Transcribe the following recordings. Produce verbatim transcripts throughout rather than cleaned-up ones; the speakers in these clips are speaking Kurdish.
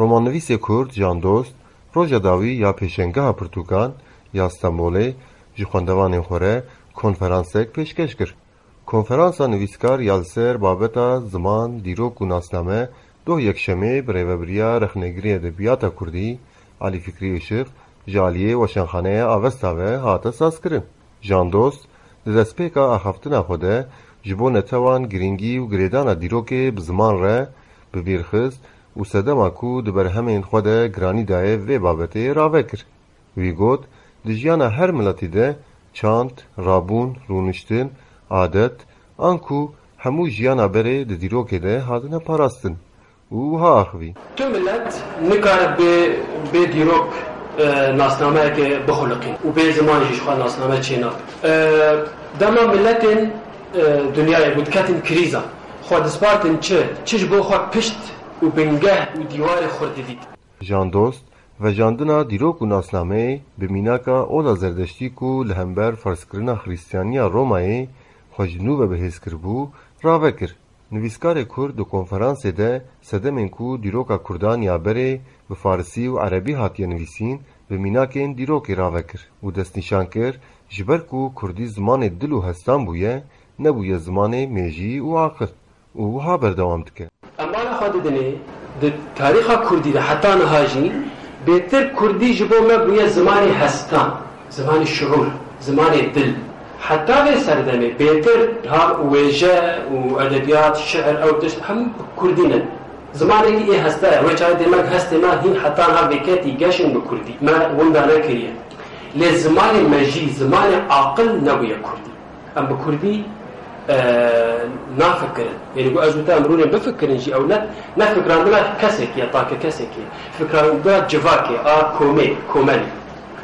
Romannivîsê Kurd Can Dost roja dawî ya pêşengeha pirtûkan ya Stenbolê ji xwendevanên xwe re konferansek pêşkeş kir. Konferansa nivîskar ya li ser babeta ziman, dîrok û nasname doh yekşemê bi rêvebiriya rexnegirê edebiyata kurdî Alî Fikrî Işiq ji aliyê Weşanxaneya Avesta ve hate sazkirin. Jan Dost di destpêka axaftina xwe de ji bo netewan girîngî û girêdana dîrokê bi ziman re bi bîr xist û sedema ku di berhemên xwe de giranî daye vê babetê rave kir. Wî got, di jiyana her miletî de çand, rabûn, rûniştin, adet, anku hemû jiyana berê di dîrokê de hatine parastin û wiha axivî. Tu milet nikare bê, bê dîrok, e, nasnameyeke bixuliqîn û bê ziman jî ji xwe nasname çênabe. E, dema miletên, e, dinyayê ku diketin krîza, xwe dispartin çi? Çi ji bo xwe pişt û bingeh û dîwarê xurt didît? Jan Dost, vejandina dîrok û nasnameyê bi mînaka ola Zerdeştî ku li hember ferzkirina Xirîstiyaniya Romayê xwe ji nû ve bihêz kiribû, rave kir. Nivîskarê Kurd di konferansê de sedemên ku dîroka Kurdan ya berê bi Farisî û Erebî hatiye nivîsîn, bi mînakên dîrokê rave kir û destnîşan kir, ji ber ku Kurdî zimanê dil û hestan bûye, nebûye zimanê mêjî û aqil. Û wiha berdewam dike. Em bala xwe didinê, di tarîxa kurdî de heta niha jî bêtir kurdî ji bo me bûye zimanê hestan, zimanê şiûr, zimanê dil. Heta vê serdemê bêtir ha wêje û edebiyat, şiir, ew tişt hemû bi kurdî ne. Zimanekî ê hesta ye. Wê çaxê demek hestê me hîn heta niha vêketî geşin bi kurdî. Me winda nekiriye. Lê zimanê me jî, zimanê aqil nebûye kurdî. Em bi kurdî, e, nafikirin. Yanî ku ez û te em rûnên bifikirin jî ew ne, ne fikirandina kesekî ye, take kesekî ye. Fikirandina civakê, a komê, komelê.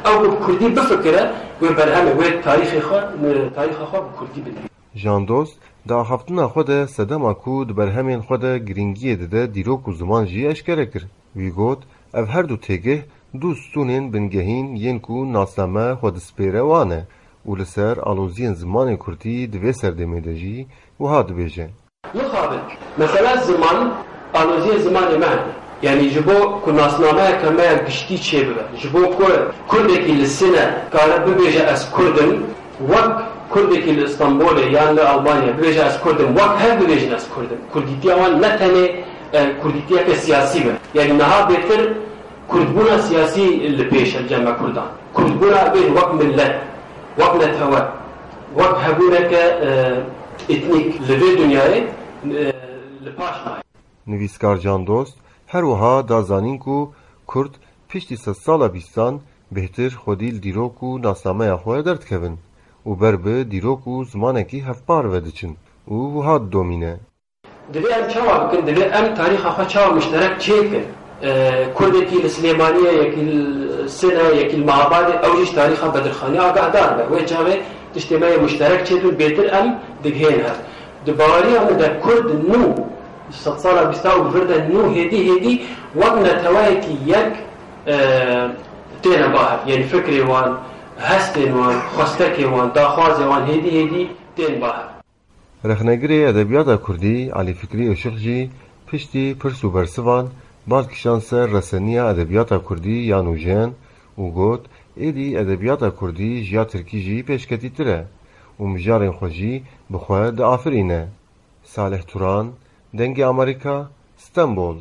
Ew ku bi kurdî bifikire, wê berhemê, wê tarîxê xwe, tarîxa xwe bi kurdî binivîse. Jan Dost, di axaftina xwe de sedema ku di berhemên xwe de girîngiyê dide dîrok û ziman jî eşkere kir. Wî got, ev her du têgih du stûnên bingehîn yên ku nasname xwe dispêre wan e û li ser aloziyên zimanê kurdî di vê serdemê de jî wiha dibêje. Mixabin, mesela ziman, aloziyê zimanê me hene. Yanî ji bo ku nasnameyeke me ya giştî çêbibe, ji bo ku kurdekî li Sine kare bibêje ez kurd im, wek kurdekî li Stenbolê yan li Almanya bibêje ez kurd im, wek hev bibêjin ez kurd im. Kurdîtiya wan ne tenê, e, kurdîtiyeke siyasî be. Yanî niha bêtir kurdbûna siyasî li pêş e li cem me kurdan. Kurdbûna bêjin wek millet, wek netewe, wek hebûneke, e, etnîk li vê dinyayê, e, li paş maye. Nivîskar Can Dost her wiha da zanîn ku Kurd piştî sedsala bîstan bêhtir xwedî li dîrok û nasnameya xwe derdikevin û ber bi dîrok û zimanekî hevpar ve diçin û wiha didomîne. Divê em çawa bikin? Divê em tarîxa xwe çawa mişterek çêkin? E, Kurdekî li Silêmaniyê, yekî li Sine, yekî li Mehabadê, ew jî ji tarîxa Bedirxanî agahdar be. Wê çaxê tiştê me yê mişterek çêdibin, bêtir em digihên hev. Di baweriya min de Kurd nû, sedsala bîsta û vir de nû hêdî hêdî wek neteweyekî yek, e, têne ba hev. Yanî fikrê wan, hestên wan, xwestekê wan, daxwazê wan hêdî hêdî tên ba hev. Rexnegirê edebiyata kurdî Elî Fikrî Işık jî piştî pirs û bersivan bal kişand ser reseniya edebiyata kurdî ya nûjen û got, êdî edebiyata kurdî ji ya tirkî jî pêşketîtir e û mijarên xwe jî bi xwe diafirîne. Salih Turan, Dengê Amerîka, Stenbol.